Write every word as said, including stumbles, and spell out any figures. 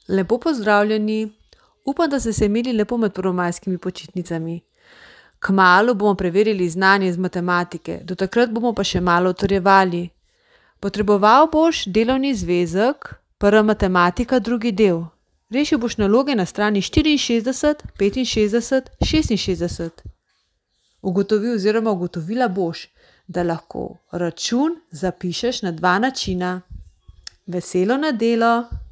Lepo pozdravljeni. Upam, da ste se imeli lepo med prvomajskimi počitnicami. Kmalu bomo preverili znanje iz matematike, do takrat bomo pa še malo utrjevali. Potreboval boš delovni zvezek, prva matematika, drugi del. Rešil boš naloge na strani štiriinšestdeset, petinšestdeset, šestinšestdeset. Ugotovil oziroma ugotovila boš, da lahko račun zapišeš na dva načina. Veselo nedelo!